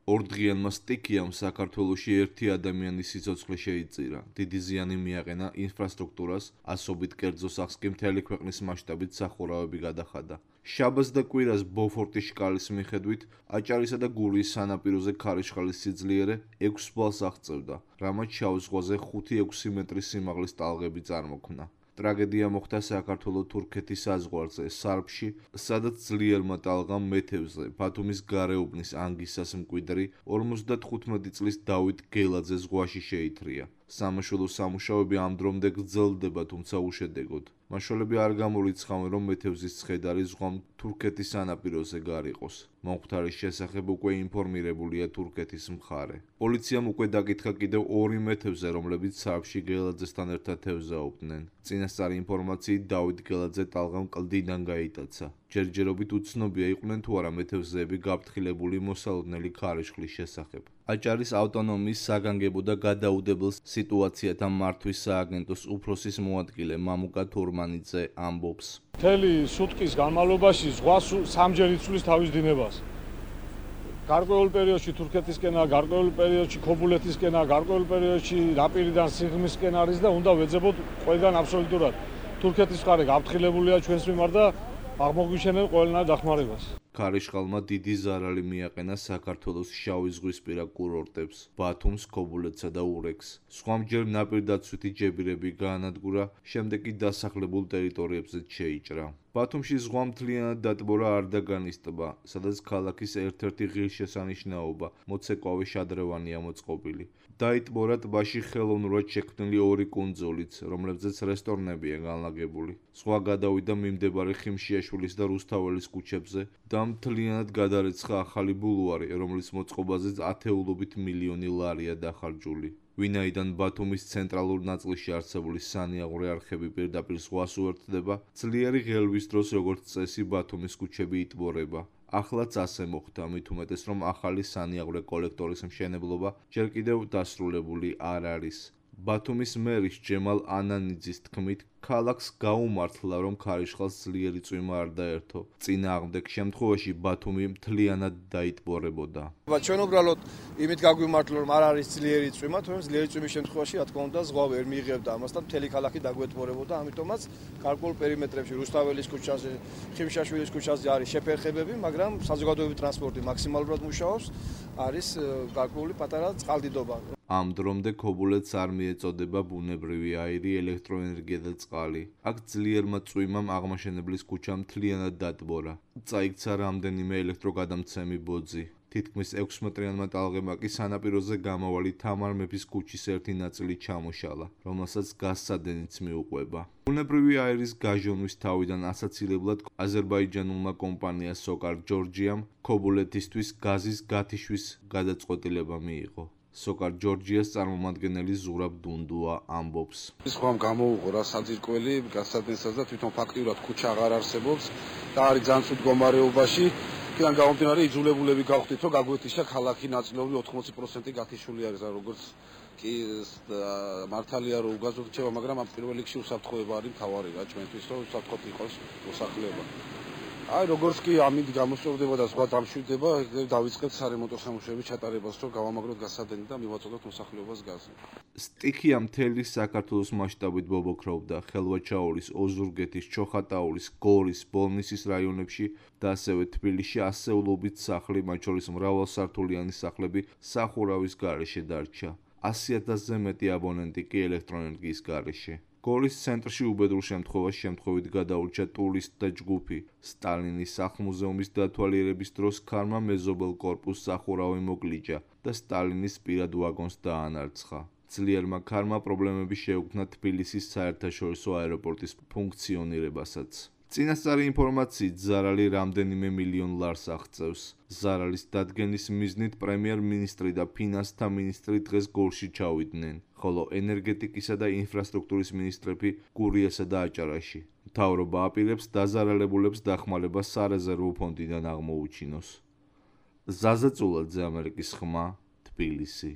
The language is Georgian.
ორდღიანმა სტიქიამ საქართველოში ერთი ადამიანის სიცოცხლე შეიწირა. დიდი ზიანი მიაყენა ინფრასტრუქტურას, ასობით კერძო სახლს კი მთელი ქვეყნის მასშტაბით სახურავები გადახადა. შაბათს და კვირას ბოფორტის შკალის მიხედვით აჭარისა და გურიის სანაპიროზე ქარიშხალის სიძლიერე 6 ბალს აღწევდა, რამაც შავ ზღვაზე 5-6 მეტრის სიმაღლის ტალღები წარმოქმნა. ტრაგედია მოხდა საქართველო-თურქეთის საზღვარზე, სარბში, სადაც ძლიერმა ტალღამ მეთევზე, ბათუმის გარეუბნის ანგისას მკვიდრი 55 წლის დავით გელაძე ზღვაში შეითრია. სამაშველო სამუშაოები ამ დრომდე გრძელდება, თუმცა უშედეგოდ. მაშველები არ გამორიცხავენ, რომ მეთევზის ცხედარი ზღვამ თურქეთის სანაპიროზე გარიყოს. მომხდარის შესახებ უკვე ინფორმირებულია თურქეთის მხარე. პოლიციამ უკვე დაკითხა კიდევ 2 მეთევზე, რომლებიც სარბში გელაძესთან ერთად თევზაობდნენ. წინასწარი ინფორმაციით დავით გელაძე ტალღამ კლდიდან გაიტაცა. ჯერჯერობით უცნობია იყვნენ თუ არა მეთევზეები გაფრთხილებული მოსალოდნელი ქარიშხლის შესახებ. აჭარის ავტონომიის საგანგებო და გადაუდებელ სიტუაციათა მართვის სააგენტოს უფროსის მოადგილე მამუკა თურმანიძე ამბობს. მთელი სუტყვის განმავლობაში ზღვა სამჯერ იცვლის თავის დინებას. გარკვეულ პერიოდში თურქეთისკენაა, გარკვეულ პერიოდში ქობულეთისკენაა, გარკვეულ პერიოდში ნაპირიდან სიღრმისკენ არის და უნდა ვეძებოთ ყველგან აბსოლუტურად. თურქეთის მხარე გაფრთხილებულია ჩვენს მიმართ და აღმოგვიშენებენ ყველანაირ დახმარებას. ქარიშხალმა დიდი ზარალი მიაყენა საქართველოს შავი ზღვისპირა კურორტებს, ბათუმს, ქობულეთსა და ურეკს. სხვამჯერ ნაპირდაცვითი ჯებირები გაანადგურა, შემდეგ კი დასახლებულ ტერიტორიებზე შეიჭრა. ბათუმში ზღვა მთლიანად დატბორა არდაგანის ტბა, სადაც ქალაქის ერთ-ერთი ღირსშესანიშნაობა, მოცეკვავე შადრევანია მოწყობილი. დაიტბორა ტბაში ხელოვნურად შექმნილი 2 კუნძულიც, რომლებზეც რესტორნებია განლაგებული. ზღვა გადავიდა მიმდებარე ხიმშიაშვილის და რუსთაველის ქუჩებზე და მთლიანად გადარეცხა ახალი ბულვარი, რომლის მოწყობაზე ათეულობით მილიონი ლარია დახარჯული. ვინაიდან ბათუმის ცენტრალურ ნაწილში არსებული სანიაღვრე არხები პირდაპირ ზღვას უერთდება, ძლიერი ღელვის დროს როგორც წესი ბათუმის ქუჩები იტბორება. ახლაც ასე მოხდა, მით უმეტეს რომ ახალი სანიაღვრე კოლექტორის მშენებლობა ჯერ კიდევ დასრულებული არ არის. ბათუმის მერის ჯემალ ანანიძის თქმით, ქალაქს გაუმართლა, რომ ქარიშხალს ძლიერი წვიმა არ დაერთო. წინააღმდეგ შემთხვევაში ბათუმი მთლიანად დაიტბორებოდა. ჩვენ უბრალოდ იმით გაგვიმართლა, რომ არ არის ძლიერი წვიმა, თუმცა ძლიერი წვიმის შემთხვევაში, რა თქმა უნდა, ზღვა ვერ მიიღებდა ამასთან, მთელი ქალაქი დაგვეტბორებოდა, ამიტომაც გარკვეულ პერიმეტრებში, რუსთაველის ქუჩაზე, ხიმშიაშვილის ქუჩაზე არის შეფერხებები, მაგრამ საზოგადოებრივი ტრანსპორტი მაქსიმალურად მუშაობს, არის გარკვეული პატარა წყალდიდობა. ამ დრომდე ქობულეთს არ მიეწოდება ბუნებრივი აირი, ელექტროენერგია და წყალი. აქ ძლიერმა წვიმამ აღმაშენებლის ქუჩა მთლიანად დატბორა. წაიქცა რამდენიმე ელექტროგადამცემი ბოძი. თითქმის 6 მეტრიანმა ტალღებმა კი სანაპიროზე გამავალი თამარ მეფის ქუჩის ერთი ნაწილი ჩამოშალა, რომელსაც გაზსადენიც მიუყვება. ბუნებრივი აირის გაჟონვის თავიდან ასაცილებლად აზერბაიჯანულმა კომპანია სოკარ ჯორჯიამ ქობულეთისთვის გაზის გათიშვის გადაწყვეტილება მიიღო. სოკარ ჯორჯიას წარმომადგენელი ზურაბ დუნდუა ამბობს. ზღვამ გამოუღო რა საძირკველი გასადენსაც და თვითონ ფაქტიურად ქუჩა აღარ არსებობს და არის ძალიან ცუდ მდგომარეობაში. იქიდან გამომდინარე იძულებულები გავხდით, რომ გაგვეთიშა ქალაქი ნაწილობრივ 80% გათიშული არის, როგორც კი მართალია რომ უგაზოდ რჩება, მაგრამ ამ პირველ რიგში უსაფრთხოება არის მთავარი რა ჩვენთვის, რომ უსაფრთხოდ იყოს მოსახლეობა. აი როგორც კი ამით გამოსწორდება და სხვა დამშვიდდება, დავიწყებთ სარემონტო სამუშაოების ჩატარებას, რომ გავამაგროთ გასადენი და მივაწოდოთ მოსახლეობას გაზი. სტიქია მთელი საქართველოს მასშტაბით ბობოქროვდა ხელვაჩაურის, ოზურგეთის, ჩოხატაურის, გორის, ბოლნისის რაიონებში და ასევე თბილისში ასეულობით სახლი, მათ შორის მრავალსართულიანი სახლები სახურავის გარეშე დარჩა. 100,000-ზე მეტი აბონენტი კი ელექტროენერგიის გარეშე. გორის ცენტრში უბედურ შემთხვევაში შემთხვევით გადაურჩა ტურისტთა ჯგუფი. სტალინის სახლ-მუზეუმის დათვალიერების დროს ქარმა მეზობელ კორპუსს სახურავი მოგლიჯა და სტალინის პირად ვაგონს დაანარცხა. ძლიერმა ქარმა პრობლემები შეუქმნა თბილისის საერთაშორისო აეროპორტის ფუნქციონირებასაც. წინასწარი ინფორმაციით ზარალი რამდენიმე მილიონ ლარს აღწევს. ზარალის დადგენის მიზნით პრემიერ-მინისტრი და ფინანსთა მინისტრი დღეს გორში ჩავიდნენ, ხოლო ენერგეტიკისა და ინფრასტრუქტურის მინისტრები გურიასა და აჭარაში. მთავრობა აპირებს დაზარალებულებს დახმარება სარეზერვო ფონდიდან აღმოუჩინოს. ზაზა წულაძე, ამერიკის ხმა, თბილისი.